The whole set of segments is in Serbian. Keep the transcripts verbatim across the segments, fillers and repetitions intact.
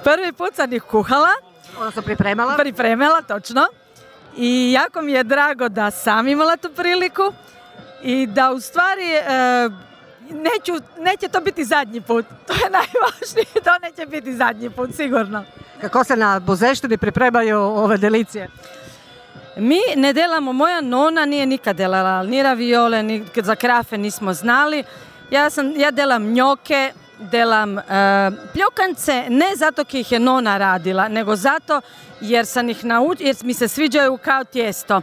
Prvi put sam ih kuhala. Odnosno pripremala? Pripremala, točno. I jako mi je drago da sam imala tu priliku i da u stvari e, neću, neće to biti zadnji put. To je najvažnije, to neće biti zadnji put, sigurno. Kako se na Buzeštini pripremaju ove delicije? Mi ne delamo, moja nona nije nikad delala ni raviole, ni za krafe nismo znali. Ja, sam, ja delam njoke, delam e, pljokance, ne zato ki ih je nona radila, nego zato jer sam ih naučila, jer mi se sviđaju kao tijesto.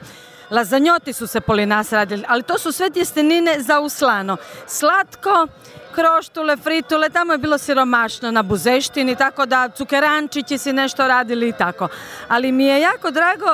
Lazanjoti su se poli nas radili, ali to su sve tjestenine za uslano. Slatko, kroštule, fritule, tamo je bilo siromašno na Buzeštini, tako da cukerančići si nešto radili i tako. Ali mi je jako drago,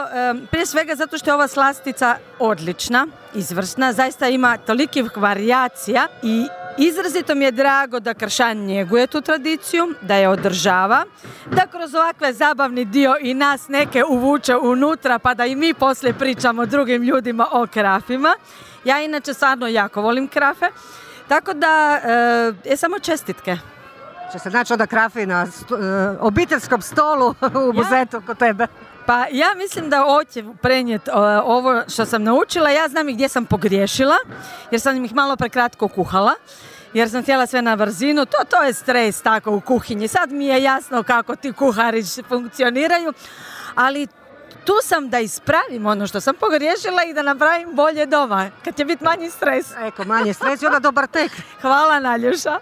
prije svega zato što je ova slastica odlična, izvrsna, zaista ima tolikih varijacija i izrazito mi je drago da Kršan njeguje tu tradiciju, da je održava, da kroz ovakve zabavni dio i nas neke uvuče unutra pa da i mi poslije pričamo drugim ljudima o krafima. Ja inače stvarno jako volim krafe, tako da e, je samo čestitke. Će se naći onda krafi na sto, e, obiteljskom stolu u Buzetu kod tebe? Pa ja mislim da hoće prenijeti uh, ovo što sam naučila. Ja znam i gdje sam pogriješila, jer sam ih malo prekratko kuhala, jer sam htjela sve na brzinu. To, to je stres tako u kuhinji. Sad mi je jasno kako ti kuhari funkcioniraju, ali tu sam da ispravim ono što sam pogriješila i da napravim bolje doma, kad će biti manji stres. Eko, manji stres i onda dobar tek. Hvala, Naljuša.